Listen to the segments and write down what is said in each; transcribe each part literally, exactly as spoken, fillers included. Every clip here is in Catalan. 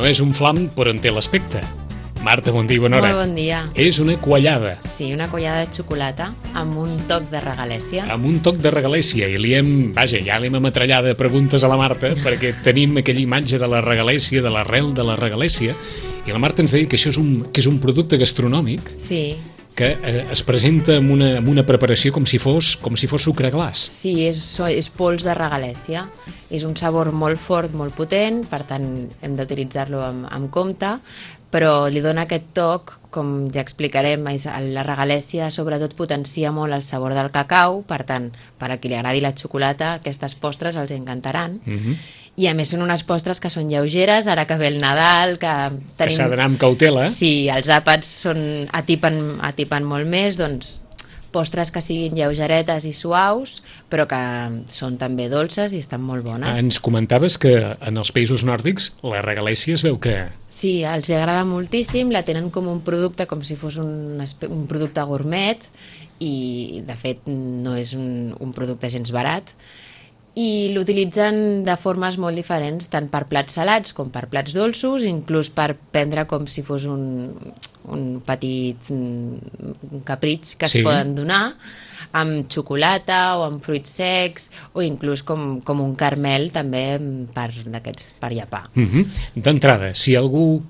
no és un flam, però en té l'aspecte. Marta, bon dia i bona hora. Molt bon dia. És una quallada. Sí, una quallada de xocolata amb un toc de regalèssia. Amb un toc de regalèssia. I li hem, vaja, ja l'hem ametrallat de preguntes a la Marta, perquè tenim aquella imatge de la regalèssia, de l'arrel de la regalèssia, i la Marta ens deia que això és un, que és un producte gastronòmic. Sí. Que eh, es presenta amb una, amb una preparació com si fos, com si fos sucre glaç. Sí, és, és pols de regalèssia. És un sabor molt fort, molt potent, per tant hem d'utilitzar-lo amb, amb compte, però li dona aquest toc, com ja explicarem, la regalèssia sobretot potencia molt el sabor del cacau, per tant, per a qui li agradi la xocolata, aquestes postres els encantaran. Mm-hmm. I a més són unes postres que són lleugeres, ara que ve el Nadal, que tenim... Que s'ha d'anar amb cautela. Sí, els àpats són, atipen, atipen molt més, doncs postres que siguin lleugeretes i suaus, però que són també dolces i estan molt bones. Ens comentaves que en els països nòrdics la regalèssia es veu que... Sí, els agrada moltíssim, la tenen com un producte, com si fos un, un producte gourmet, i de fet no és un, un producte gens barat, i l'utilitzen de formes molt diferents, tant per plats salats com per plats dolços, inclús per prendre com si fos un, un petit un capritx que sí. Es poden donar, amb xocolata o amb fruits secs, o inclús com, com un caramel també per, per llepar. Mm-hmm. D'entrada, si algú,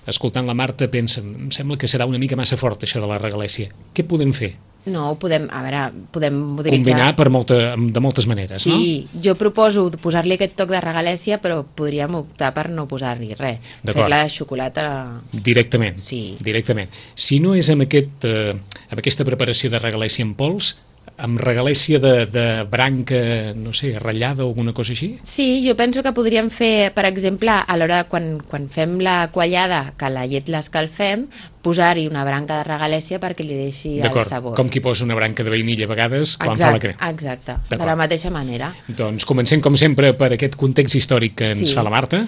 escoltant la Marta, pensa, em sembla que serà una mica massa fort això de la regalèssia, què podem fer? No, ho podem, a veure, podem utilitzar... Combinar per molta, de moltes maneres, sí, no? Sí, jo proposo posar-li aquest toc de regalèssia, però podríem optar per no posar-hi res. Fer-la de xocolata... Directament, sí. Directament. Si no és amb, aquest, eh, amb aquesta preparació de regalèssia en pols, amb regalèssia de, de branca, no sé, ratllada o alguna cosa així? Sí, jo penso que podríem fer, per exemple, a l'hora quan, quan fem la quallada, que la llet l'escalfem, posar-hi una branca de regalèssia perquè li deixi el sabor. Com qui posa una branca de vainilla a vegades quan fa la crema. Exacte, de la mateixa manera. Doncs comencem, com sempre, per aquest context històric que ens sí. fa la Marta.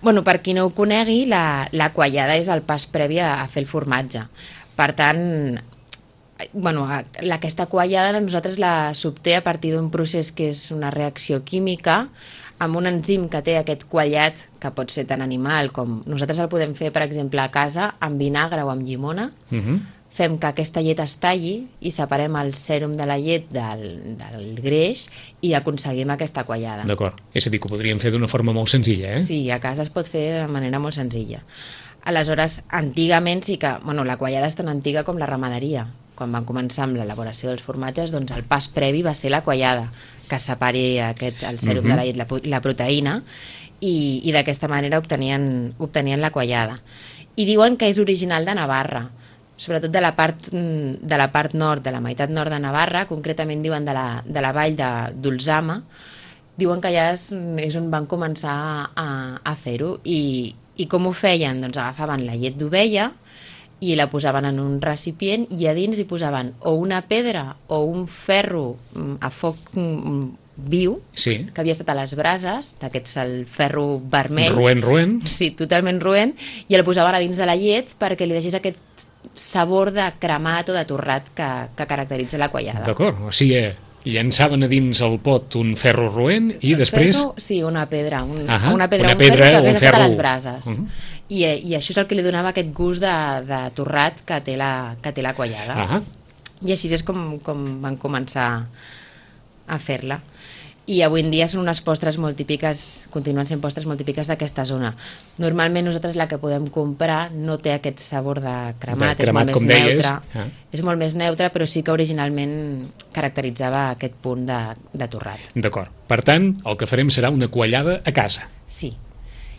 Bueno, per qui no ho conegui, la, la quallada és el pas previ a, a fer el formatge. Per tant... Bueno, aquesta quallada nosaltres la s'obté a partir d'un procés que és una reacció química amb un enzim que té aquest quallat, que pot ser tan animal com... Nosaltres el podem fer, per exemple, a casa amb vinagre o amb llimona. Uh-huh. Fem que aquesta llet es talli i separem el sèrum de la llet del, del greix i aconseguim aquesta quallada. D'acord. És a dir, que ho podríem fer d'una forma molt senzilla, eh? Sí, a casa es pot fer de manera molt senzilla. Aleshores, antigament sí que... Bueno, la quallada és tan antiga com la ramaderia. Quan van començar amb l'elaboració dels formatges, doncs el pas previ va ser la quallada, que separi aquest, el sèrum uh-huh. de la llet, la, la proteïna, i, i d'aquesta manera obtenien, obtenien la quallada. I diuen que és original de Navarra, sobretot de la part, de la part nord, de la meitat nord de Navarra, concretament diuen de la, de la vall d'Ulzama, diuen que allà és, és on van començar a, a fer-ho. I, I com ho feien? Doncs agafaven la llet d'ovella, i la posaven en un recipient i a dins hi posaven o una pedra o un ferro a foc viu, sí. que havia estat a les brases, d'aquests el ferro vermell. Roent, roent. Sí, totalment roent, i el posaven a dins de la llet perquè li deixés aquest sabor de cremat o de torrat que, que caracteritza la quallada. D'acord, o sigui, llançaven a dins el pot un ferro roent i el després... Ferro, sí, una pedra, un, uh-huh. una pedra, una un pedra ferro que havia estat ferro... a les brases. Uh-huh. I, I això és el que li donava aquest gust de, de torrat que té la, que té la quallada. Uh-huh. I així és com, com van començar a fer-la. I avui en dia són unes postres molt típiques, continuen sent postres molt típiques d'aquesta zona. Normalment nosaltres la que podem comprar no té aquest sabor de cremat, de cremat és molt més neutre. Ah. És molt més neutre, però sí que originalment caracteritzava aquest punt de, de torrat. D'acord. Per tant, el que farem serà una quallada a casa. Sí.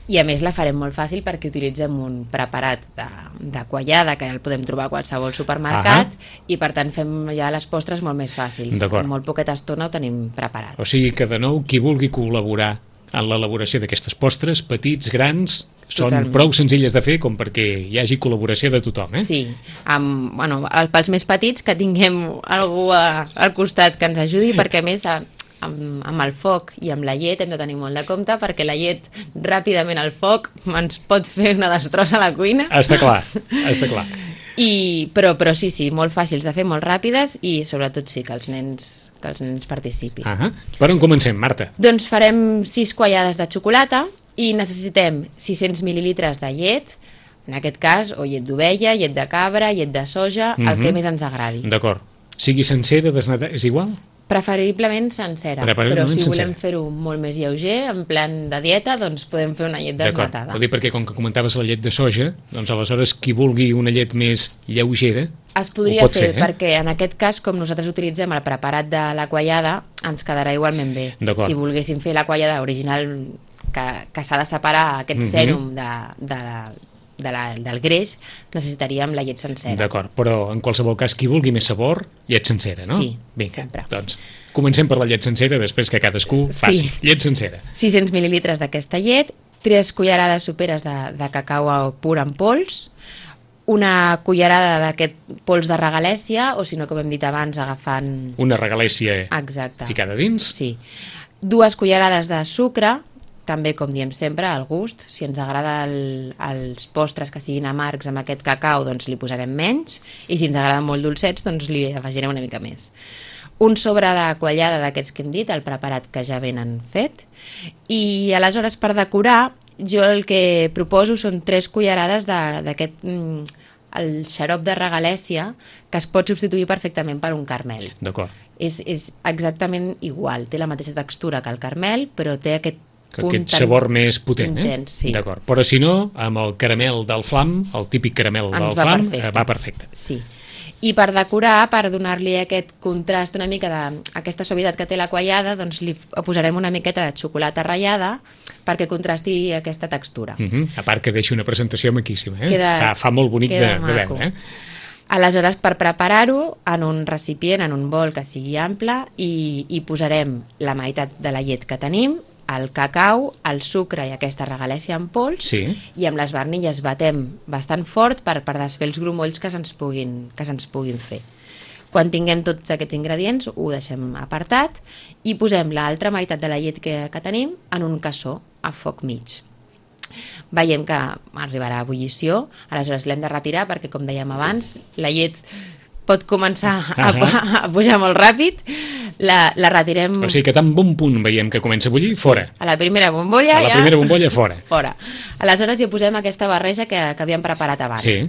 I a més la farem molt fàcil perquè utilitzem un preparat de, de quallada que el podem trobar a qualsevol supermercat. Ahà. I per tant fem ja les postres molt més fàcils. En molt poqueta estona ho tenim preparat. O sigui que de nou qui vulgui col·laborar en l'elaboració d'aquestes postres, petits, grans, són Totalment. Prou senzilles de fer com perquè hi hagi col·laboració de tothom, eh? Sí, amb, bueno, pels més petits que tinguem algú a, al costat que ens ajudi, perquè a més... A, Amb, amb el foc i amb la llet hem de tenir molt de compte perquè la llet ràpidament al foc ens pot fer una destrossa a la cuina. Està clar, està clar. I, però, però sí, sí, molt fàcils de fer, molt ràpides i sobretot sí, que els nens, que els nens participin. Uh-huh. Per on comencem, Marta? Doncs farem sis quallades de xocolata I necessitem sis-cents mil·lilitres de llet, en aquest cas, o llet d'ovella, llet de cabra, llet de soja, mm-hmm. el que més ens agradi. D'acord. Sigui sencera, desnatada, és igual? Preferiblement sencera, Preferiblement però si sencera. volem fer-ho molt més lleuger, en plan de dieta, doncs podem fer una llet desnatada. Ho dic perquè com que comentaves la llet de soja, doncs aleshores qui vulgui una llet més lleugera es podria ho pot fer, fer, eh? perquè en aquest cas, com nosaltres utilitzem el preparat de la quallada, ens quedarà igualment bé. Si volguéssim fer la quallada original, que, que s'ha de separar aquest mm-hmm. sèrum de, de la, de la, del greix, necessitaríem la llet sencera. D'acord, però en qualsevol cas, qui vulgui més sabor, llet sencera, no? Sí, vinga, sempre. Doncs comencem per la llet sencera, després que cadascú faci. Sí. Llet sencera. sis-cents mil·lilitres d'aquesta llet, tres cullerades soperes de, de cacau pur en pols, una cullerada d'aquest pols de regalèssia, o si no, com hem dit abans, agafant... Una regalèssia Exacte. ficada dins. Sí. Dues cullerades de sucre, també, com diem sempre, al gust. Si ens agrada el, els postres que siguin amargs amb aquest cacau, doncs li posarem menys, i si ens agraden molt dolcets, doncs li afegirem una mica més. Un sobre de quallada d'aquests que hem dit, el preparat que ja venen fet, i aleshores per decorar, jo el que proposo són tres cullerades d'aquest el xarop de regalèssia, que es pot substituir perfectament per un carmel. D'acord. És, és exactament igual, té la mateixa textura que el carmel, però té aquest que aquest sabor més potent, intens, eh? Sí. D'acord. Però si no, amb el caramel del flam, el típic caramel Ens del va flam, perfecte. va perfecte. Sí. I per decorar, per donar-li aquest contrast una mica d'aquesta suavitat que té la quallada, doncs li posarem una miqueta de xocolata ratllada perquè contrasti aquesta textura. Uh-huh. A part que deixa una presentació maquíssima, eh? Queda, fa, fa molt bonic de, de veure, eh? Aleshores, per preparar-ho, en un recipient, en un bol que sigui ample, i, i posarem la meitat de la llet que tenim, el cacau, el sucre i aquesta regalèssia en pols, sí. i amb les barnilles batem bastant fort per, per desfer els grumolls que se'ns puguin, que se'ns puguin fer. Quan tinguem tots aquests ingredients, ho deixem apartat i posem l'altra meitat de la llet que, que tenim en un cassó a foc mig. Veiem que arribarà a ebullició, aleshores l'hem de retirar perquè, com dèiem abans, la llet pot començar a, a pujar molt ràpid, la, la retirem... O sigui que tan bon punt veiem que comença a bullir, sí, fora. A la primera bombolla A la ja... primera bombolla, fora. Fora. Aleshores hi posem aquesta barreja que, que havíem preparat abans. Sí.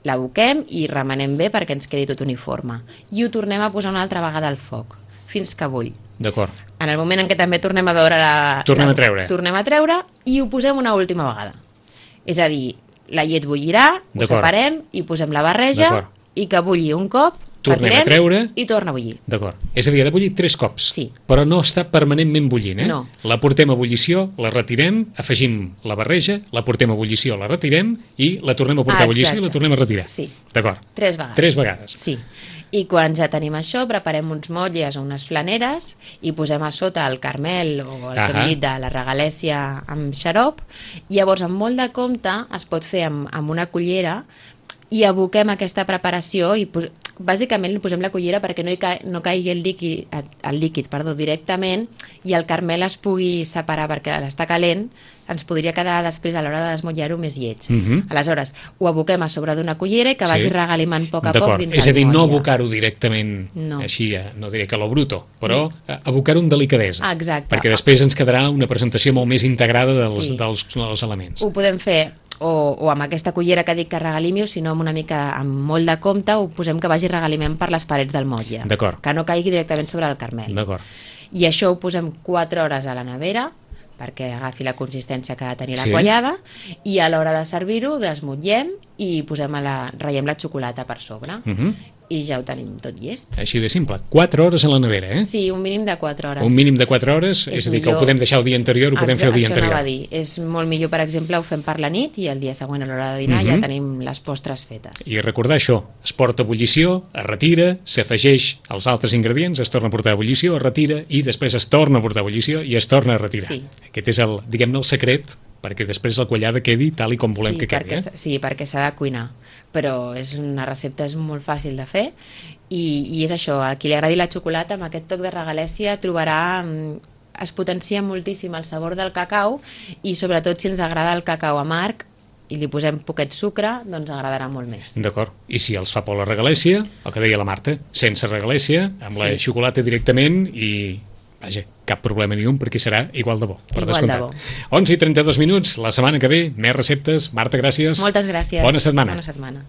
La boquem i remenem bé perquè ens quedi tot uniforme. I ho tornem a posar una altra vegada al foc, fins que bull. D'acord. En el moment en què també tornem a veure la... Tornem la, a treure. Tornem a treure i ho posem una última vegada. És a dir, la llet bullirà, ho separem i posem la barreja i que bulli un cop, tornem a treure i torna a bullir. D'acord. És a dir, ha de bullir tres cops. Sí. Però no està permanentment bullint, eh? No. La portem a ebullició, la retirem, afegim la barreja, la portem a ebullició, la retirem i la tornem a portar a ebullició i la tornem a retirar. Sí. D'acord. Tres vegades. Tres vegades. Sí. I quan ja tenim això, preparem uns motlles o unes flaneres i posem a sota el carmel o el que hem dit de la regalèssia amb xarop. Llavors, amb molt de compte, es pot fer amb, amb una cullera i aboquem aquesta preparació i bàsicament li posem la cullera perquè no, hi ca no caigui el líquid, el líquid perdó, directament i el carmel es pugui separar perquè l'està calent, ens podria quedar després a l'hora de desmotllar-ho més lleig. Uh -huh. Aleshores, ho aboquem a sobre d'una cullera i que vagi sí. regalimant a poc a poc dins és a dir, el no abocar-ho directament no. així, no diré que a lo bruto, però no. abocar-ho amb delicadesa. Exacte. Perquè després ens quedarà una presentació sí. molt més integrada dels, sí. dels, dels elements. Ho podem fer o, o amb aquesta cullera que dic que regalimi, o si no amb una mica amb molt de compte ho posem que vagi regalimant per les parets del motlle, que no caigui directament sobre el carmel. I això ho posem quatre hores a la nevera perquè agafi la consistència que ha de tenir la sí. quallada, i a l'hora de servir-ho desmotllem i posem a la, ratllem la xocolata per sobre. Uh -huh. I ja ho tenim tot llest. Així de simple. quatre hores a la nevera, eh? Sí, un mínim de quatre hores. Un mínim de quatre hores, és, és a dir, millor... que ho podem deixar el dia anterior, ho podem Exacte, fer el dia anterior. Això anava a dir. És molt millor, per exemple, ho fem per la nit i el dia següent a l'hora de dinar uh -huh. ja tenim les postres fetes. I recordar això, es porta a ebullició, es retira, s'afegeix als altres ingredients, es torna a portar a ebullició, es retira i després es torna a portar a ebullició i es torna a retirar. Sí. Aquest és el, diguem-ne, el secret perquè després la quallada quedi tal i com volem sí, que quedi. Perquè, eh? Sí, perquè s'ha de cuinar, però és una recepta és molt fàcil de fer i, i és això, a qui li agradi la xocolata amb aquest toc de regalèssia trobarà, es potencia moltíssim el sabor del cacau i sobretot si ens agrada el cacau amarg i li posem poquet sucre, doncs agradarà molt més. D'acord. I si els fa por la regalèssia, el que deia la Marta, sense regalèssia, amb sí. la xocolata directament i, vaja, cap problema ni un, perquè serà igual de bo, per Igual de descomptat. onze i trenta-dos minuts, la setmana que ve, més receptes. Marta, gràcies. Moltes gràcies. Bona setmana. Bona setmana.